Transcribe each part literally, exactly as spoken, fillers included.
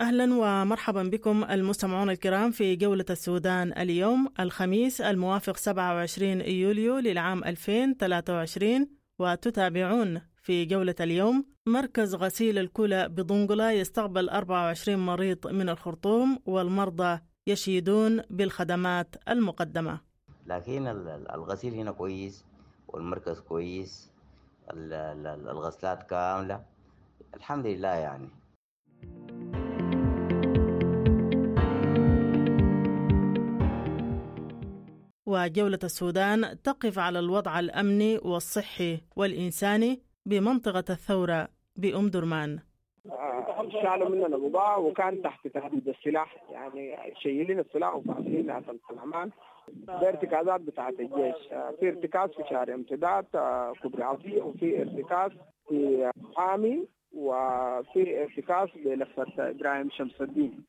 أهلا ومرحبا بكم المستمعون الكرام في جولة السودان اليوم الخميس الموافق سبعة وعشرين يوليو للعام ألفين وثلاثة وعشرين، وتتابعون في جولة اليوم: مركز غسيل الكلى بدنقلة يستقبل أربعة وعشرين مريض من الخرطوم، والمرضى يشيدون بالخدمات المقدمة. لكن الغسيل هنا كويس والمركز كويس، الغسلات كاملة الحمد لله يعني. وجولة السودان تقف على الوضع الأمني والصحي والإنساني بمنطقة الثورة بأم درمان. شالوا مننا بضاعة وكان تحت تهديد السلاح، يعني شايلين السلاح وفاصلين ناس الأمان. ده ارتكازات بتاعة الجيش، في ارتكاز في شارع امتداد كوبري عطية، وفي ارتكاز في حامي، وفي ارتكاز بلفة إبراهيم شمس الدين.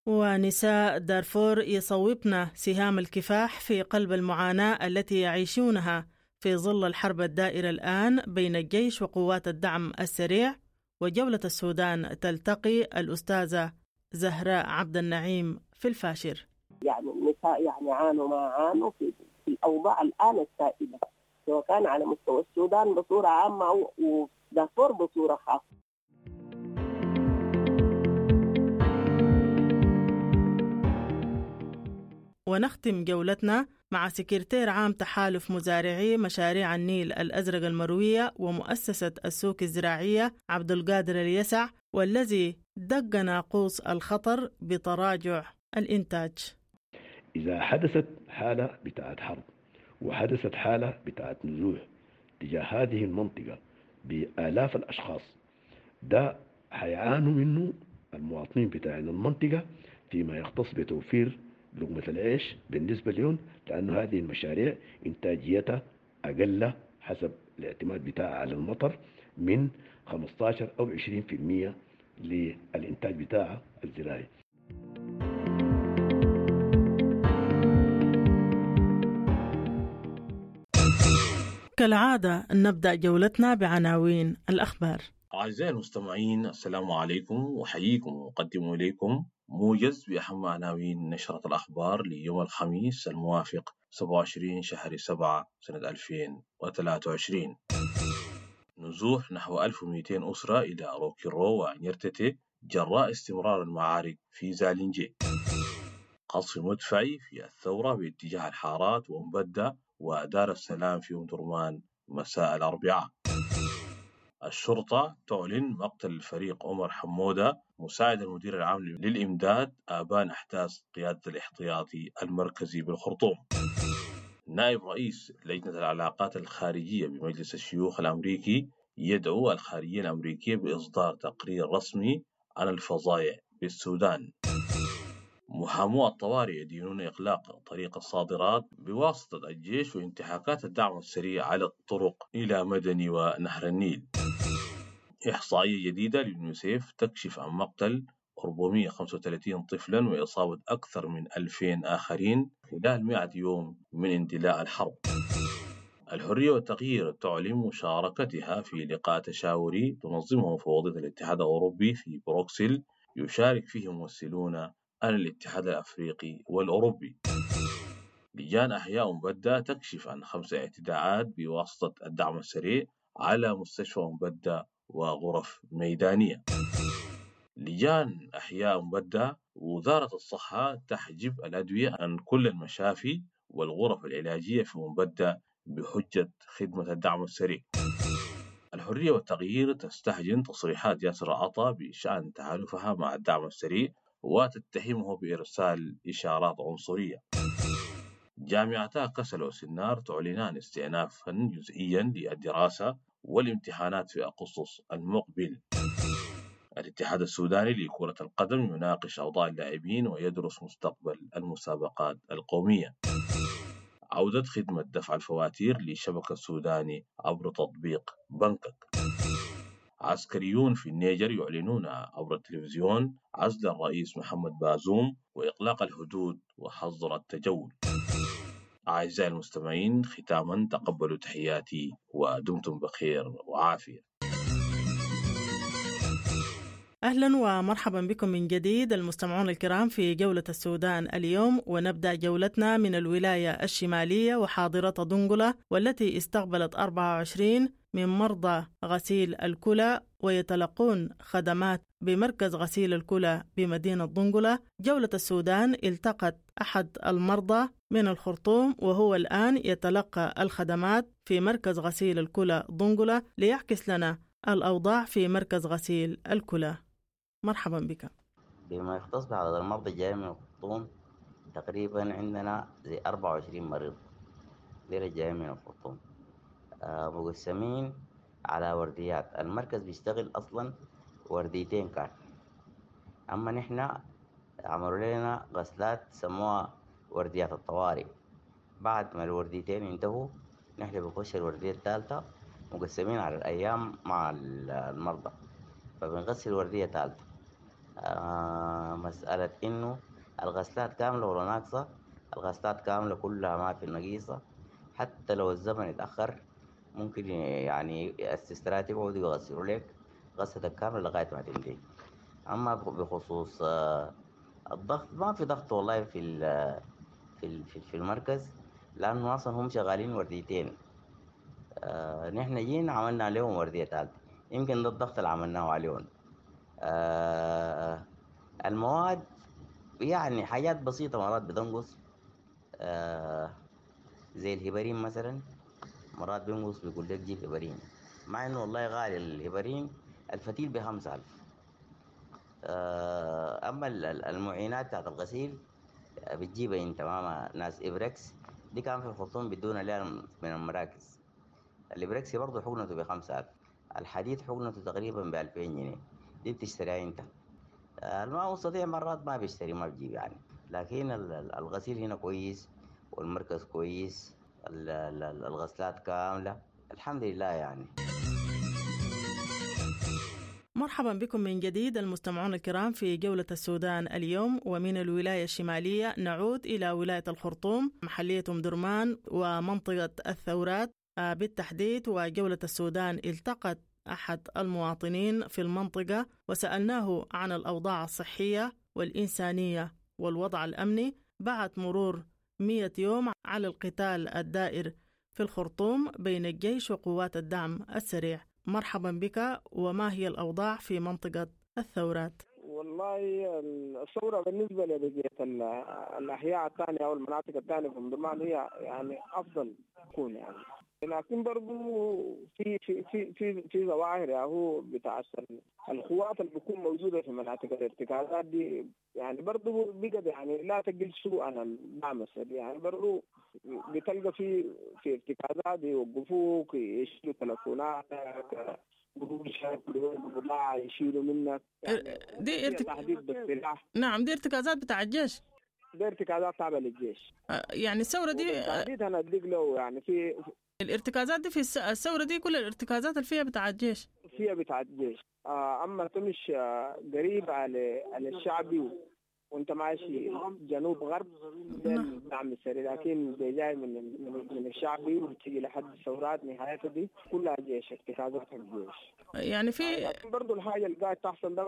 ونساء دارفور يصوبن سهام الكفاح في قلب المعاناة التي يعيشونها في ظل الحرب الدائرة الآن بين الجيش وقوات الدعم السريع. وجولة السودان تلتقي الأستاذة زهراء عبد النعيم في الفاشر. يعني النساء يعني عانوا ما عانوا في, في الأوضاع الآن السائدة، سواء كان على مستوى السودان بصورة عامة أو دارفور بصورة خاصة. ونختم جولتنا مع سكرتير عام تحالف مزارعي مشاريع النيل الأزرق المروية ومؤسسة السوق الزراعية عبد القادر اليسع، والذي دق ناقوس الخطر بتراجع الإنتاج. إذا حدثت حالة بتاعت حرب وحدثت حالة بتاعت نزوح تجاه هذه المنطقة بآلاف الأشخاص، ده حيعانوا منه المواطنين بتاعين المنطقة فيما يختص بتوفير لقمة العيش بالنسبة لهم، لأن هذه المشاريع إنتاجيتها أقل حسب الاعتماد بتاعها على المطر من خمسة عشر أو عشرين بالمئة للإنتاج بتاعها الزراعي. كالعادة نبدأ جولتنا بعناوين الأخبار. أعزائي المستمعين، السلام عليكم، وأحييكم وأقدم إليكم موجز بأهم عناوين نشرة الأخبار ليوم الخميس الموافق سبعة وعشرين شهر سبعة سنة ألفين وثلاثة وعشرين. نزوح نحو ألف ومئتين أسرة إلى روكيرو ونيرتتي جراء استمرار المعارك في زالينجي. قصف مدفعي في الثورة باتجاه الحارات ومبدة ودار السلام في أم درمان مساء الأربعاء. الشرطة تعلن مقتل الفريق عمر حمودة مساعد المدير العام للإمداد آبان أحداث قيادة الاحتياطي المركزي بالخرطوم. نائب رئيس لجنة العلاقات الخارجية بمجلس الشيوخ الأمريكي يدعو الخارجية الأمريكية بإصدار تقرير رسمي عن الفظائع بالسودان. محامو الطوارئ يدينون إغلاق طريق الصادرات بواسطة الجيش وانتهاكات الدعم السريع على الطرق إلى مدني ونهر النيل. إحصائية جديدة لليونيسيف تكشف عن مقتل أربعمئة وخمسة وثلاثين طفلا وإصابة أكثر من ألفين آخرين خلال مئة يوم من اندلاع الحرب. الحرية والتغيير تعلن مشاركتها في لقاء تشاوري تنظمه مفوضية الاتحاد الأوروبي في بروكسل يشارك فيه ممثلون عن الاتحاد الأفريقي والأوروبي. لجان أحياء مبدة تكشف عن خمس اعتداءات بواسطة الدعم السريع على مستشفى مبدة وغرف ميدانية. لجان أحياء مبدة وزارة الصحة تحجب الأدوية عن كل المشافي والغرف العلاجية في مبدة بحجة خدمة الدعم السريع. الحرية والتغيير تستهجن تصريحات ياسر عطا بشأن تحالفها مع الدعم السريع وتتهمه بإرسال إشارات عنصرية. جامعتا كسل وسنار تعلنان استئنافا جزئيا للدراسة والامتحانات في أغسطس المقبل. الاتحاد السوداني لكرة القدم يناقش أوضاع اللاعبين ويدرس مستقبل المسابقات القومية. عودة خدمة دفع الفواتير لشبكة السوداني عبر تطبيق بنكك. عسكريون في النيجر يعلنون عبر التلفزيون عزل الرئيس محمد بازوم وإغلاق الحدود وحظر التجول. أعزائي المستمعين، ختاما تقبلوا تحياتي ودمتم بخير وعافية. أهلا ومرحبا بكم من جديد المستمعون الكرام في جولة السودان اليوم، ونبدأ جولتنا من الولاية الشمالية وحاضرة دنقلة، والتي استقبلت أربعة وعشرين من مرضى غسيل الكلى ويتلقون خدمات بمركز غسيل الكلى بمدينة دنقلة. جولة السودان التقت أحد المرضى من الخرطوم وهو الآن يتلقى الخدمات في مركز غسيل الكلى دنقلة ليعكس لنا الأوضاع في مركز غسيل الكلى. مرحبا بك. بما يختص بعدد المرضى الجايين من الخرطوم، تقريبا عندنا زي أربعة وعشرين مريض ديل جايين من الخرطوم، آه مقسمين على ورديات. المركز بيشتغل أصلا ورديتين كان، أما نحن عملوا لنا غسلات سموها ورديات الطوارئ. بعد ما الورديتين انتهوا نحن بنخش الوردية الثالثة، مقسمين على الأيام مع المرضى، فبنغسل وردية ثالثة. آه مسألة إنه الغسلات كاملة ولا ناقصة، الغسلات كاملة كلها ما في نقيصة، حتى لو الزمن اتأخر ممكن يعني السسترات يقعدوا يغسلوا لك غسلتك كاملة لغاية ما تنتهي. أما بخصوص آه الضغط، ما في ضغط والله في ال في ال في المركز، لأنه أصلا هم شغالين ورديتين. آه نحن جينا عملنا عليهم وردية ثالثة، يمكن ده الضغط اللي عملناه عليهم. آه المواد يعني حاجات بسيطة مرات بتنقص، آه زي الهبرين مثلا، مرات بينقص بيقول لك جيب هبرين، مع انه والله غالي الهبرين، الفتيل بخمسة ألف. آه اما المعينات بتاعت الغسيل بتجيبها انت ماما ناس ابركس دي كان في الخرطوم بدون لها من المراكز. الابركسي برضه حقنته بخمسة ألف، الحديد حقنته تقريبا بألفين جنيه، دي بتشتريها انت. الماء مستطيع مرات ما بيشتري ما بجيب يعني، لكن الغسيل هنا كويس والمركز كويس، الغسلات كاملة الحمد لله يعني. مرحبا بكم من جديد المستمعون الكرام في جولة السودان اليوم. ومن الولاية الشمالية نعود إلى ولاية الخرطوم، محلية أم درمان ومنطقة الثورات بالتحديد. وجولة السودان التقت أحد المواطنين في المنطقة وسألناه عن الأوضاع الصحية والإنسانية والوضع الأمني بعد مرور مئة يوم على القتال الدائر في الخرطوم بين الجيش وقوات الدعم السريع. مرحبا بك، وما هي الأوضاع في منطقة الثورات؟ والله الثورة بالنسبة لبقية الأحياء الثانية أو المناطق الثانية في أم درمان هي يعني أفضل تكون يعني، لكن برضو في في في في في ظواهر يعني هو بتاع القوات اللي بتكون موجودة في مناطق الارتكازات دي يعني برضو بقت يعني لا تقل سوء عن الدعم السريع يعني، برضو بتلقى في في ارتكازات يوقفوك، يشيلوا تلفوناتك، قروشك، بضاعة يشيلوا منك يعني، دي ارتك... تهديد بالسلاح. نعم، دي ارتكازات بتاع الجيش، دي ارتكازات تابعة للجيش يعني. الثورة دي تهديد أنا أديك له يعني في الارتكازات دي في الثورة دي كل الارتكازات اللي فيها بتاع الجيش، فيها بتاع الجيش. أما تمشي قريب على على الشعبي وانت ماشي جنوب غرب الدعم السريع، لكن جاي من من الشعبي وتيجي لحد الثورات نهايتها دي كلها جيش، ارتكازات الجيش يعني. في برضه الحاجة اللي قاعد تحصل ده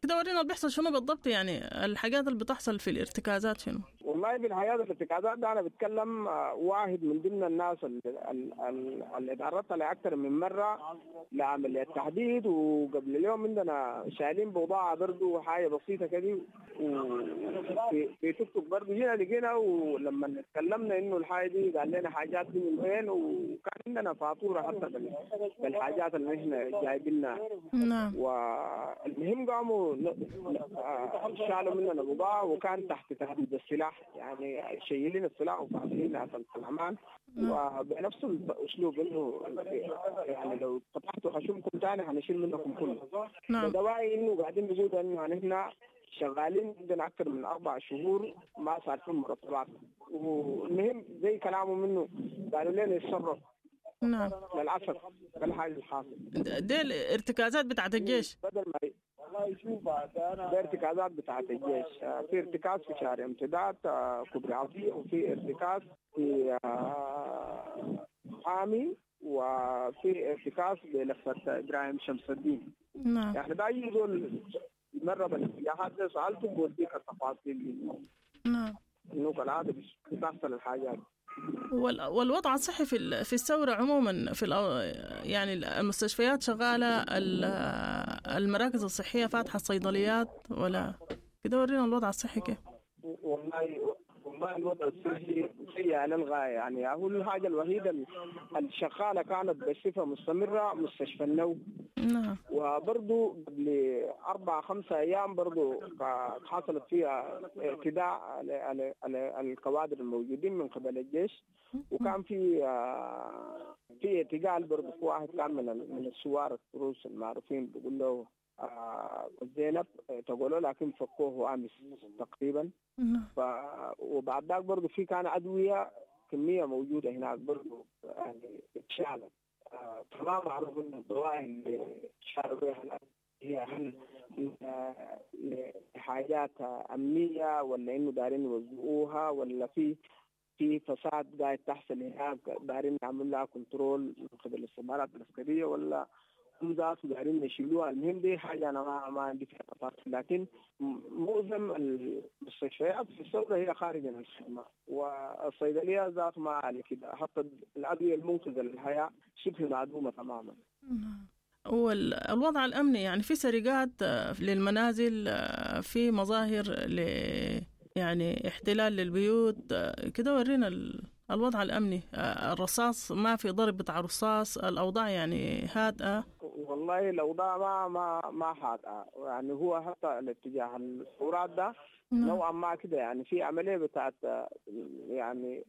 كده ورينا اللي بيحصل شنو بالضبط يعني، الحاجات اللي بتحصل في الارتكازات شنو؟ والله بالحياة الارتكازات ده انا بتكلم واحد من ضمن الناس اللي, اللي تعرضت لاكثر من مرة لعملية تحديد، وقبل اليوم عندنا شايلين بضاعة برضه حاجة بسيطة كده في في توك توك برضه جينا لقينا، ولما تكلمنا انه الحاجة دي قال لنا حاجات دي من وين، وكان عندنا فاتورة حتى بالحاجات اللي احنا جايبينها. نعم. والمهم قاموا شالوا مننا بضاعة وكان تحت تهديد السلاح يعني، شايلين السلاح وفاصلين في الامان، وبنفس الاسلوب انه يعني لو فتحتوا خشمكم ثاني هنشيل منكم كله. نعم. دواعي انه قاعدين بيقولوا انه نحن شغالين عندنا أكثر من أربع شهور ما صار في مرتبات، والمهم زي كلامه منه قالوا لنا يتصرف. نعم. للأسف ده الحاجة الحاصل. دي الارتكازات بتاعت الجيش بدل ما ده ارتكازات بتاعت الجيش. في ارتكاز في شارع امتداد كوبري عطية، وفي ارتكاز في حامي، وفي ارتكاز بلفة إبراهيم شمس الدين. نعم. يعني ده أي زول مرة بالاتجاهات دي سألته بوديك التفاصيل دي. نعم. إنه كالعادة بتحصل الحاجات. والوضع الصحي في في الثورة عموما في يعني المستشفيات شغالة، المراكز الصحية فاتحة، الصيدليات، ولا كده؟ ورينا الوضع الصحي كيف. والله والله الوضع الصحي سيء للغاية. يعني هو الحاجة الوحيدة الشغالة كانت بصفة مستمرة مستشفى النو. نعم. وبرضو قبل أربع خمسة أيام برضو حصلت فيها اعتداء على على على الكوادر الموجودين من قبل الجيش، وكان في في اعتقال برضو في واحد كان من من الثوار التروس المعروفين بيقول له زينب اعتقلوه، لكن فكوه أمس تقريبا. ف وبعد ذاك برضو في كان أدوية كمية موجودة هناك برضو يعني اتشالت. فما معروف ان الدواء اللي شالوا بها هي هل لحاجات امنيه ولا انه دارين يوزعوها، ولا في في فساد قاعد تحصل هناك دارين يعملوا لها control من قبل الاستخبارات العسكريه، ولا هم ذاته دارين يشيلوها. المهم دي حاجه انا ما ما عندي فيها تفاصيل، لكن معظم المستشفيات في الثوره هي خارج عن الخدمه، والصيدليه ذات ما على كده، حتى الادويه المنقذه للحياه شبه معدومه تماما. والوضع الامني يعني في سرقات للمنازل، في مظاهر ل يعني احتلال للبيوت كده، ورينا الوضع الأمني. الرصاص ما في ضرب بتاع رصاص، الأوضاع يعني هادئة. والله الأوضاع ما ما ما هادئة، يعني هو حتى الاتجاه الثورات ده نوعا ما كده، يعني في عملية بتاعت يعني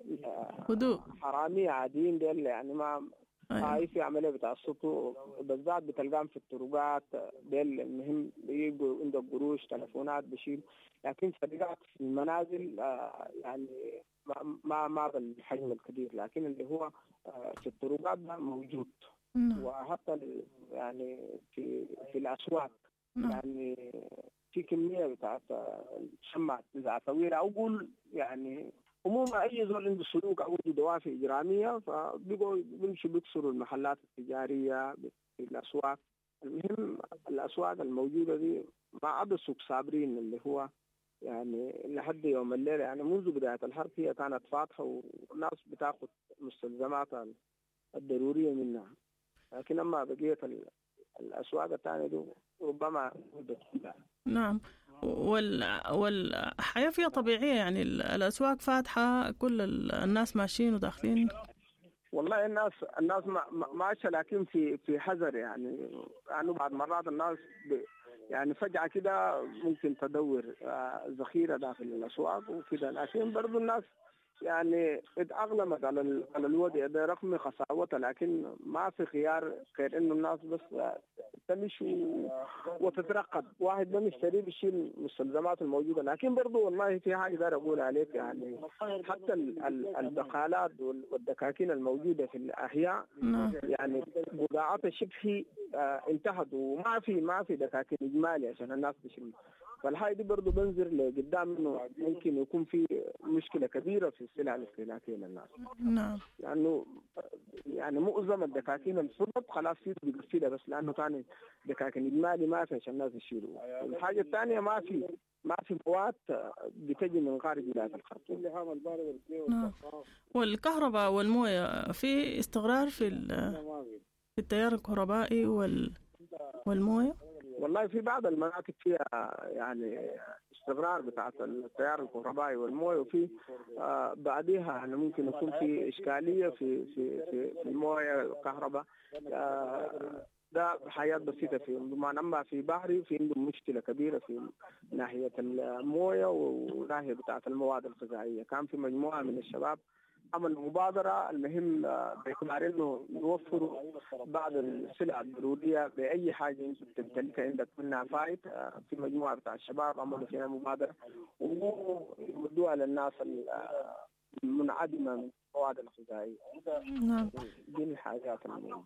هدوء، حرامية عاديين ديل، يعني ما هاي في عملية بتاع السطو بالذات بتلقاهم في الطرقات ديل. المهم بيجوا عندك قروش تلفونات بشيل، لكن سرقات في المنازل يعني ما ما بالحجم الكبير، لكن اللي هو في الطرقات ده موجود. وحتى يعني في في الاسواق يعني في كميه بتاعت شمعة نزعة طويله، او قول يعني عموما اي زول عنده سلوك او عنده دوافع اجراميه فبيقوا بيمشوا بيكسروا المحلات التجاريه في الاسواق. المهم الاسواق الموجوده دي ما عدا سوق صابرين اللي هو يعني لحد يوم الليلة، يعني منذ بداية الحرب هي كانت فاتحة والناس بتاخذ مستلزماتها الضرورية منها، لكن أما بقية الأسواق الثانية دي ربما كلها. نعم. وال... والحياة فيها طبيعية، يعني الأسواق فاتحة، كل الناس ماشيين وداخلين. والله الناس الناس ماشية، لكن في في حذر، يعني يعني بعض مرات الناس ب... يعني فجأة كده ممكن تدور ذخيرة داخل الأسواق وكده، لكن برضو الناس يعني اتأقلمت على على الوضع ده رغم قساوتها، لكن ما في خيار غير انه الناس بس تمشي وتترقب، واحد بيشتري بيشيل المستلزمات الموجوده. لكن برضو والله في حاجه داير اقول عليك، يعني حتى البقالات والدكاكين الموجوده في الاحياء يعني بضاعتها شبه انتهت، وما في ما في دكاكين اجمالي عشان الناس تشيل. فالحاجة دي برضه بنظر لقدام انه ممكن يكون في مشكلة كبيرة في السلع الاستهلاكية للناس. نعم. لأنه يعني معظم الدكاكين الفضت خلاص في بيقفلها بس، لأنه ثاني دكاكين إجمالي ما في عشان الناس يشيلوا. والحاجة الثانية ما في ما في مواد بتجي من خارج ولاية الخرطوم. نعم. والكهرباء والموية في استقرار في في التيار الكهربائي وال والموية؟ والله في بعض المناطق فيها يعني استقرار بتاعت التيار الكهربائي والمويه، وفي آه بعديها يعني ممكن يكون في اشكاليه في في في, في المويه الكهرباء. آه ده حاجات بسيطه في أمدرمان. اما في بحري في عندهم مشكله كبيره في ناحيه المويه وناحيه بتاعت المواد الغذائيه. كان في مجموعه من الشباب عمل مبادرة، المهم باعتبار انه يوفروا بعض السلع الضرورية بأي حاجة انت بتمتلكها عندك منها فايت. في مجموعة بتاع الشباب عملوا فيها مبادرة ويودوها للناس المنعدمة من المواد الغذائية. نعم. دي الحاجات المهمة.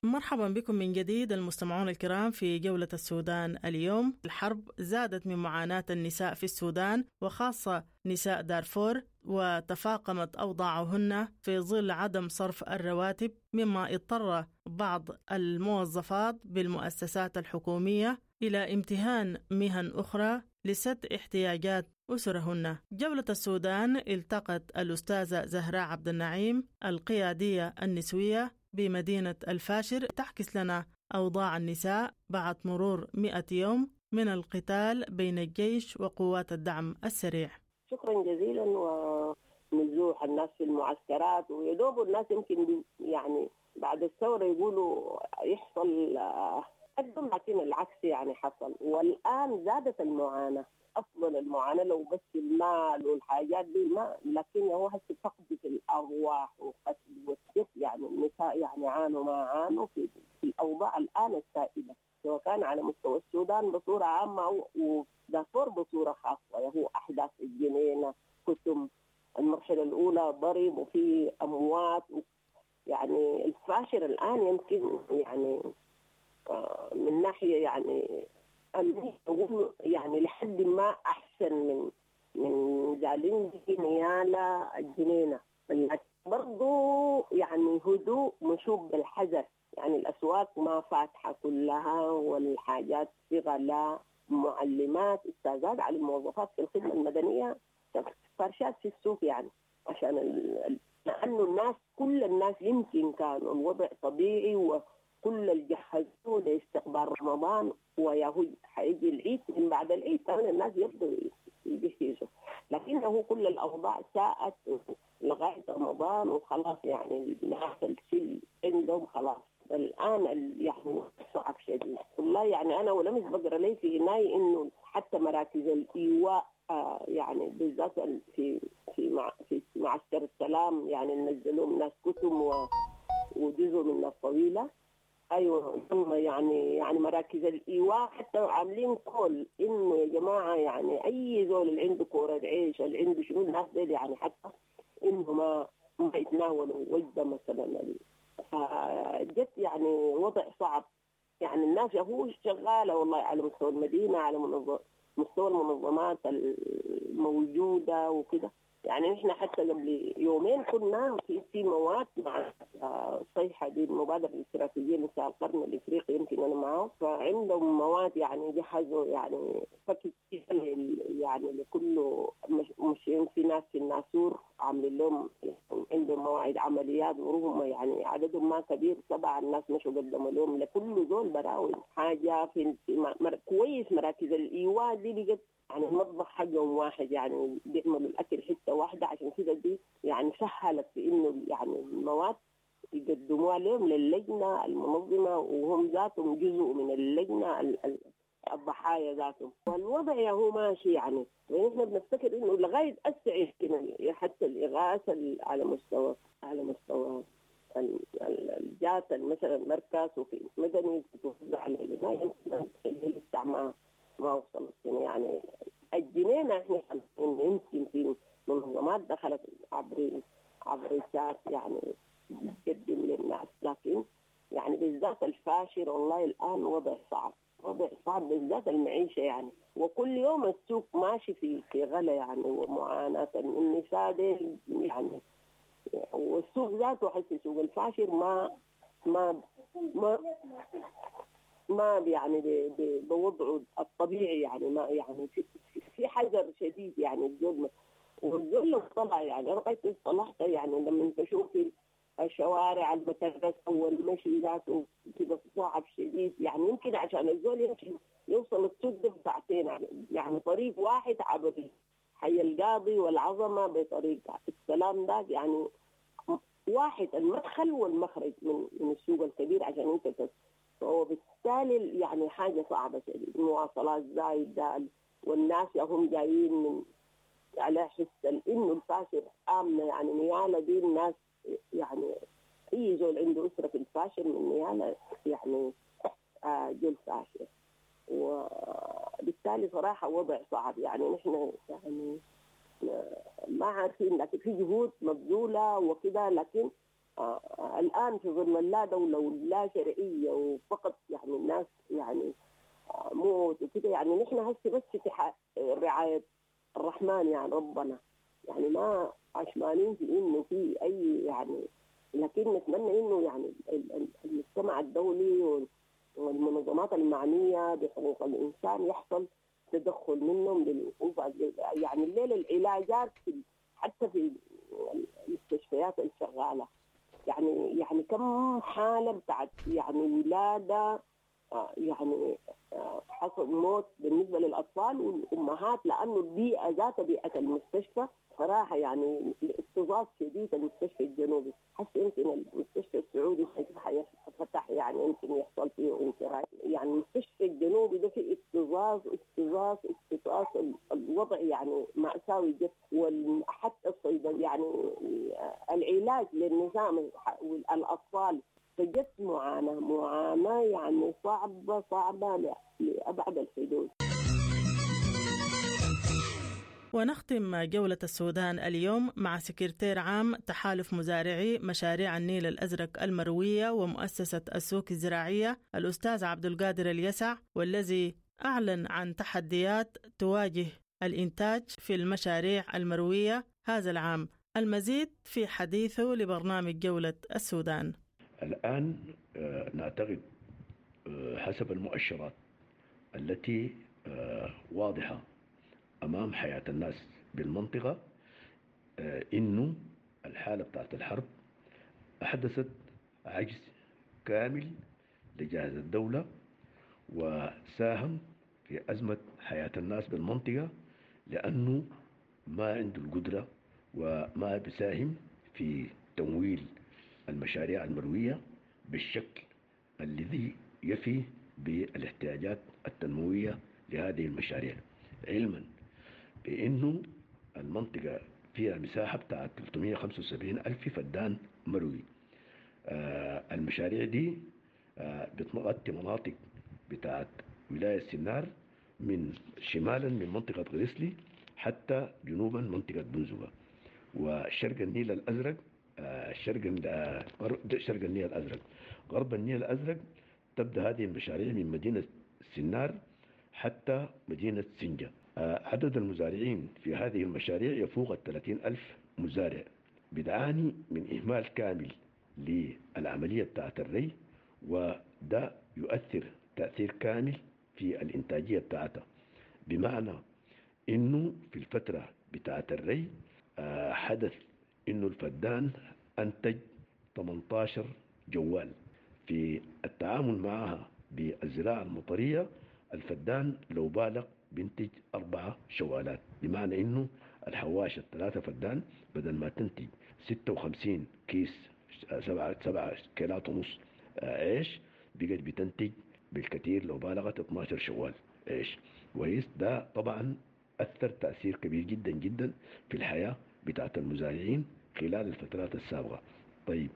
مرحبا بكم من جديد المستمعون الكرام في جولة السودان اليوم. الحرب زادت من معاناة النساء في السودان وخاصة نساء دارفور، وتفاقمت أوضاعهن في ظل عدم صرف الرواتب، مما اضطر بعض الموظفات بالمؤسسات الحكومية إلى امتهان مهن أخرى لسد احتياجات أسرهن. جولة السودان التقت الأستاذة زهراء عبد النعيم القيادية النسوية بمدينة الفاشر تعكس لنا أوضاع النساء بعد مرور مئة يوم من القتال بين الجيش وقوات الدعم السريع. شكرا جزيلا. ونزوح الناس في المعسكرات ويدوب الناس يمكن يعني بعد الثورة يقولوا يحصل قدم، لكن العكس يعني حصل. والآن زادت المعاناة، أفضل المعاناة لو بس المال والحاجات دي ما، لكن هو هسه فقد في الأرواح وقتل والجف. يعني النساء يعني عانوا ما عانوا في, في الأوضاع الآن السائدة، سواء كان على مستوى السودان بصورة عامة ودارفور بصورة خاصة. هو أحداث الجنينة، كتم المرحلة الأولى ضرب وفي أموات. يعني الفاشر الآن يمكن يعني من ناحية يعني يعني لحد ما أحسن من من جالينجي نيالا الجنينة، برضو يعني هدوء مشوب بالحذر. يعني الأسواق ما فاتحة كلها والحاجات في غلاء. معلمات استاذات على الموظفات في الخدمة المدنية فرشات في السوق، يعني عشان ال... لأنه الناس كل الناس يمكن كانوا الوضع طبيعي وكل اللي جهزوه لاستقبال رمضان، وياهو حيجي العيد، من بعد العيد كمان الناس يبدوا يجهزوا، لكنه كل الأوضاع ساءت لغاية رمضان وخلاص. يعني الناس الشيء عندهم خلاص الآن يعني صعب شديد والله. يعني أنا ولمس بقرأ لي في هناي إنه حتى مراكز الإيواء آه يعني بالذات في في مع في معسكر السلام، يعني نزلوهم ناس كتم وجزء من الناس طويلة. ايوه يعني يعني مراكز الايواء حتى عاملين كل انه يا جماعه يعني اي زول اللي عنده كوره عيش اللي عنده شنو الناس دي يعني حتى انه ما ما يتناولوا وجبه مثلا. فجت يعني وضع صعب. يعني الناس هو شغاله والله على مستوى المدينه، على مستوى المنظمات الموجوده وكده. يعني نحن حتى قبل يومين كنا في في مواد مع الصيحة دي المبادرة الاستراتيجية لنساء القرن الإفريقي، يمكن أنا معه، فعندهم مواد يعني جهزوا يعني فك يعني لكل مش في ناس في الناسور عاملين لهم عندهم مواعيد عمليات وهم يعني عددهم ما كبير، سبعة الناس مشوا قدموا لهم لكل زول براوي حاجة في, في مر... كويس. مراكز الإيواء دي بقت يعني المطبخ حقهم واحد، يعني بيعملوا الأكل حتة واحدة، عشان كده دي يعني سهلت في إنه يعني المواد يقدموها لهم للجنة المنظمة، وهم ذاتهم جزء من اللجنة الضحايا ذاتهم. والوضع هو ماشي يعني، ونحن بنفتكر إنه لغاية أسع حتى الإغاثة على مستوى على مستوى الجات مثلا مركز وفي مدني تتوزع على لسه ما ما وصلت يعني الجنينة. احنا يمكن في منظمات دخلت عبر عبر الشات يعني تقدم للناس، لكن يعني بالذات الفاشر والله الآن وضع صعب، وضع صعب بالذات المعيشة يعني. وكل يوم السوق ماشي في في غلا يعني ومعاناة النساء دي يعني. والسوق ذاته حس سوق الفاشر ما ما ما ما يعني بوضعه الطبيعي يعني ما يعني في, في حذر شديد يعني. الزول والزول لو طلع يعني رأيت طلعت يعني لما تشوفي الشوارع المترسة والمشي ذاته كده صعب شديد يعني. يمكن عشان الزول يمشي يوصل السوق ده بساعتين يعني, يعني طريق واحد عبر حي القاضي والعظمة بطريق السلام ده يعني واحد المدخل والمخرج من من السوق الكبير عشان انت تس. فهو بالتالي يعني حاجة صعبة شديد، المواصلات زايدة والناس هم جايين من على حس إنه الفاشر آمنة يعني. نيالة دي الناس يعني أي زول عنده أسرة في الفاشر من نيالة يعني آه جو الفاشر، وبالتالي صراحة وضع صعب يعني. نحن يعني ما عارفين، لكن في جهود مبذولة وكده، لكن آه الآن في ظل اللا دولة ولا شرعية وفقط يعني الناس يعني آه موت وكده، يعني نحن هسه بس في رعاية الرحمن يعني ربنا، يعني ما عشمانين في إنه في أي يعني، لكن نتمنى إنه يعني المجتمع الدولي والمنظمات المعنية بحقوق الإنسان يحصل تدخل منهم للوقوف. يعني الليلة العلاجات في حتى في المستشفيات الشغالة، يعني يعني كم حالة بتاعت يعني ولادة يعني حصل موت بالنسبة للأطفال والأمهات، لأنه البيئة ذات بيئة المستشفى صراحة يعني الاكتظاظ شديد. المستشفى الجنوبي حس يمكن المستشفى السعودي فتح يعني يمكن يحصل فيه انفراج، يعني المستشفى الجنوبي ده فيه اكتظاظ اكتظاظ اكتظاظ، الوضع يعني مأساوي جدا. وحتى الصيدل يعني العلاج للنساء والأطفال فجت معاناة معاناة يعني صعبة صعبة لأبعد الحدود. ونختم جولة السودان اليوم مع سكرتير عام تحالف مزارعي مشاريع النيل الأزرق المروية ومؤسسة السوق الزراعية الأستاذ عبد القادر اليسع، والذي أعلن عن تحديات تواجه الإنتاج في المشاريع المروية هذا العام. المزيد في حديثه لبرنامج جولة السودان. الآن نعتقد حسب المؤشرات التي واضحة أمام حياة الناس بالمنطقة إنه الحالة بتاعت الحرب أحدثت عجز كامل لجهاز الدولة وساهم في أزمة حياة الناس بالمنطقة، لأنه ما عنده القدرة وما بيساهم في تمويل المشاريع المروية بالشكل الذي يفي بالاحتياجات التنموية لهذه المشاريع، علما بأنه المنطقة فيها مساحة بتاعت ثلاثمئة وخمسة وسبعين ألف فدان مروي. آه المشاريع دي آه بتغطي مناطق بتاعت ولاية سنار من شمالا من منطقة غريسلي حتى جنوبا منطقة بنزوغة، وشرق النيل الأزرق، آه شرق شرق النيل الأزرق، غرب النيل الأزرق. تبدأ هذه المشاريع من مدينة سنار حتى مدينة سنجة. عدد المزارعين في هذه المشاريع يفوق الثلاثين ألف مزارع. بتعاني من إهمال كامل للعملية بتاعت الري، وده يؤثر تأثير كامل في الإنتاجية بتاعتها، بمعنى إنه في الفترة بتاعت الري حدث إنه الفدان أنتج ثمانية عشر جوال. في التعامل معها بالزراعة المطرية الفدان لو بالغ بينتج أربعة شوالات، بمعنى إنه الحواشة الثلاثة فدان بدل ما تنتج ستة وخمسين كيس سبعة سبعة كيلات ونص عيش، بقت بتنتج بالكثير لو بالغت اثني عشر شوال عيش. كويس، ده طبعا أثر تأثير كبير جدا جدا في الحياة بتاعت المزارعين خلال الفترات السابقة. طيب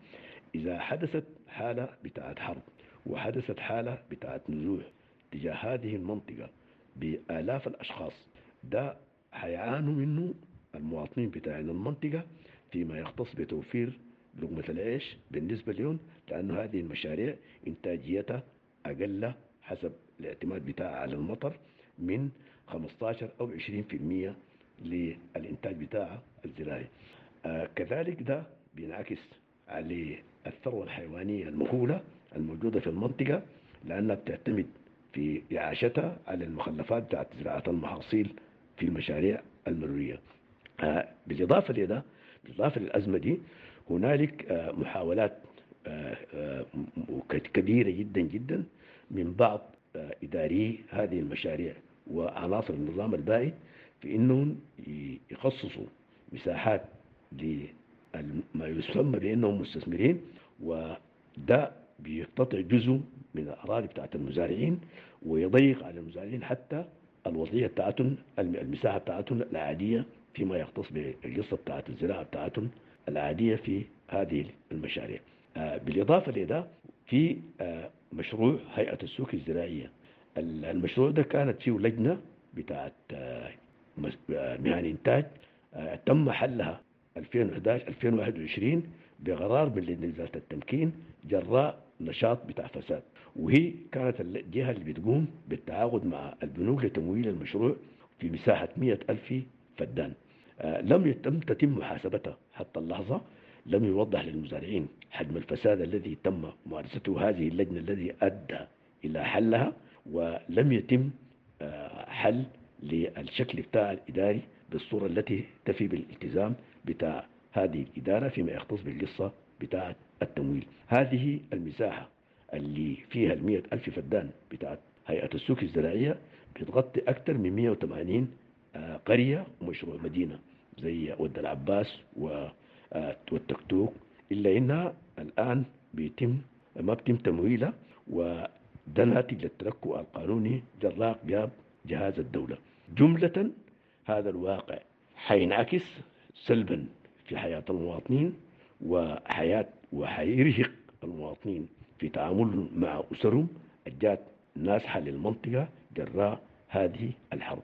إذا حدثت حالة بتاعت حرب وحدثت حالة بتاعت نزوح تجاه هذه المنطقة بآلاف الأشخاص، ده حيعانوا منه المواطنين بتاعين المنطقة فيما يختص بتوفير لقمة العيش بالنسبة لهم، لأن هذه المشاريع إنتاجيتها أقل حسب الاعتماد بتاعها على المطر من خمسة عشر أو عشرين بالمئة للإنتاج بتاعها الزراعي. آه كذلك ده بينعكس على الثروة الحيوانية المهولة الموجودة في المنطقة، لأنها بتعتمد في إعاشتها على المخلفات بتاعت زراعة المحاصيل في المشاريع المروية. آه بالإضافة لده، بالإضافة للأزمة دي، هنالك آه محاولات آه آه كبيرة جدا جدا من بعض آه إداري هذه المشاريع وعناصر النظام البائد في إنهم يخصصوا مساحات لما يسمى بأنهم مستثمرين، وده بيقتطع جزء من الأراضي بتاعت المزارعين ويضيق على المزارعين حتى الوضعية بتاعتهم، المساحة بتاعتهم العادية فيما يختص بالقصة بتاعت الزراعة بتاعتهم العادية في هذه المشاريع. بالإضافة لده في مشروع هيئة السوق الزراعية. المشروع ده كانت فيه لجنة بتاعت مهن إنتاج تم حلها ألفين وإحدى عشر ألفين وواحد وعشرين بقرار من لجنة إزالة التمكين جراء نشاط بتاع فساد، وهي كانت الجهة اللي بتقوم بالتعاقد مع البنوك لتمويل المشروع في مساحة مئة ألف فدان. آه لم يتم تتم محاسبتها حتى اللحظة، لم يوضح للمزارعين حجم الفساد الذي تم ممارسته هذه اللجنة الذي أدى إلى حلها، ولم يتم آه حل للشكل بتاع الإداري بالصورة التي تفي بالالتزام بتاع هذه الإدارة فيما يختص بالقصة بتاعة التمويل. هذه المساحة اللي فيها المئة ألف فدان بتاعة هيئة السوق الزراعية بتغطي أكثر من مئة وثمانين قرية ومشروع مدينة زي ود العباس والتكتوك، إلا إنها الآن بيتم ما بيتم تمويلها، وده ناتج للتلكؤ القانوني جراء غياب جهاز الدولة. جملة هذا الواقع حينعكس سلبا في حياة المواطنين وحياة وحيرهق المواطنين في تعاملهم مع أسرهم الجات نازحة للمنطقة جراء هذه الحرب.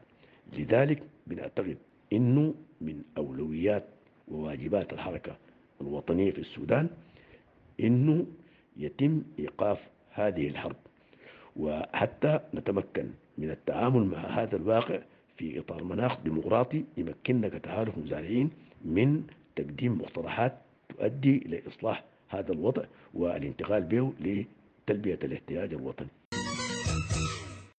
لذلك بنعتقد أنه من أولويات وواجبات الحركة الوطنية في السودان أنه يتم إيقاف هذه الحرب، وحتى نتمكن من التعامل مع هذا الواقع في إطار مناخ ديمقراطي يمكننا كتحالف مزارعين من تقديم مقترحات تؤدي إلى إصلاح هذا الوضع والانتقال به لتلبية الاحتياج الوطني.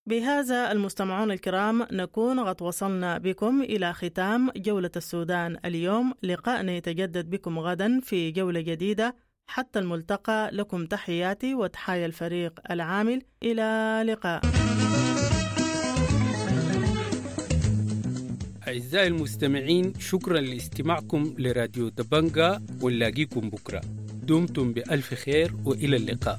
بهذا المستمعون الكرام نكون قد وصلنا بكم إلى ختام جولة السودان اليوم. لقاءنا يتجدد بكم غدا في جولة جديدة. حتى الملتقى، لكم تحياتي وتحايا الفريق العامل. إلى لقاء. أعزائي المستمعين، شكرا لاستماعكم لراديو دبنجا، ونلاقيكم بكرة. دمتم بألف خير وإلى اللقاء.